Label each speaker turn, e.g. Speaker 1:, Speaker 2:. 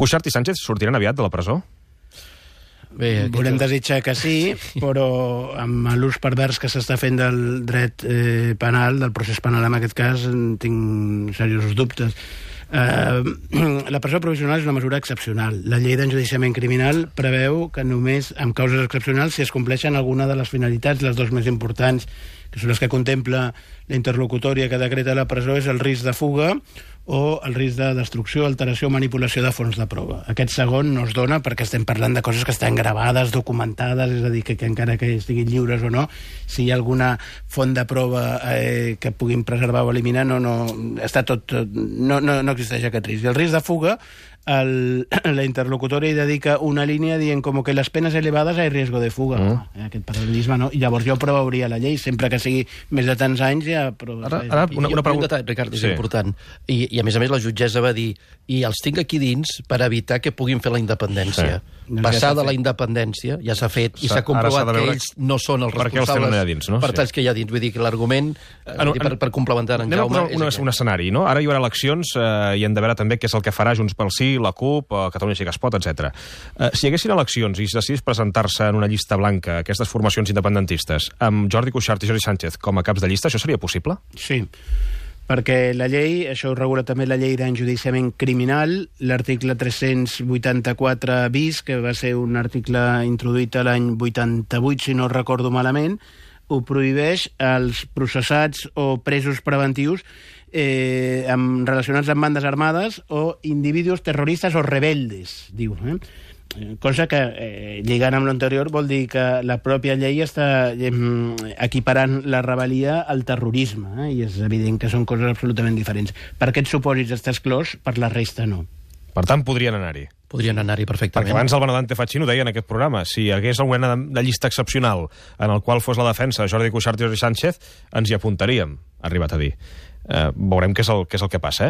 Speaker 1: Cuixart i Sánchez sortiran aviat de la presó?
Speaker 2: Bé, volem desitjar que sí, però amb l'ús pervers que s'està fent del dret penal, del procés penal en aquest cas, tinc seriosos dubtes. La presó provisional és una mesura excepcional. La llei d'enjudiciament criminal preveu que només amb causes excepcionals si es compleixen alguna de les finalitats, les dues més importants, que són les que contempla la interlocutòria que decreta la presó, és el risc de fuga o el risc de destrucció, alteració o manipulació de fons de prova. Aquest segon no es dona perquè estem parlant de coses que estan gravades, documentades, és a dir, que encara que estiguin lliures o no, si hi ha alguna font de prova que puguin preservar o eliminar, no existeix aquest risc. I el risc de fuga, la interlocutòria hi dedica una línia dient com que les penes elevades hay riesgo de fuga. Aquest paral·lelisme, no? I llavors ja ho preveuria la llei, sempre que sigui més de tants anys ja...
Speaker 3: Ara, una pregunta... Un detall, Ricard, és important. I a més, la jutgessa va dir i els tinc aquí dins per evitar que puguin fer la independència. Passar de la independència ja s'ha fet i s'ha comprovat que ells no són els responsables per talls que hi ha dins. Vull dir que l'argument, per complementar en Jaume...
Speaker 1: Un escenari, no? Ara hi haurà eleccions i hem de veure també què és el que farà Junts pel Sí, la CUP, Catalunya sí que es pot, etc. Si hi haguessin eleccions i decidís presentar-se en una llista blanca aquestes formacions independentistes amb Jordi Cuixart i Jordi Sánchez com a caps de llista, això seria possible?
Speaker 2: Sí, perquè la llei, això ho regula també la llei d'enjudiciament criminal, l'article 384 bis, que va ser un article introduït l'any 88, si no recordo malament, ho prohibeix als processats o presos preventius relacionats amb bandes armades o individus terroristes o rebeldes, diu. Cosa que, lligant amb l'anterior, vol dir que la pròpia llei està equiparant la rebel·lia al terrorisme, i és evident que són coses absolutament diferents. Per aquests supòsits està exclòs, per la resta no.
Speaker 1: Per tant, podrien anar-hi.
Speaker 3: Podrien anar-hi perfectament.
Speaker 1: Perquè abans el Benedante Fachin ho deia en aquest programa. Si hi hagués alguna de llista excepcional en el qual fos la defensa de Jordi Cuixart i Jordi Sánchez, ens hi apuntaríem, ha arribat a dir. Veurem què és el que passa,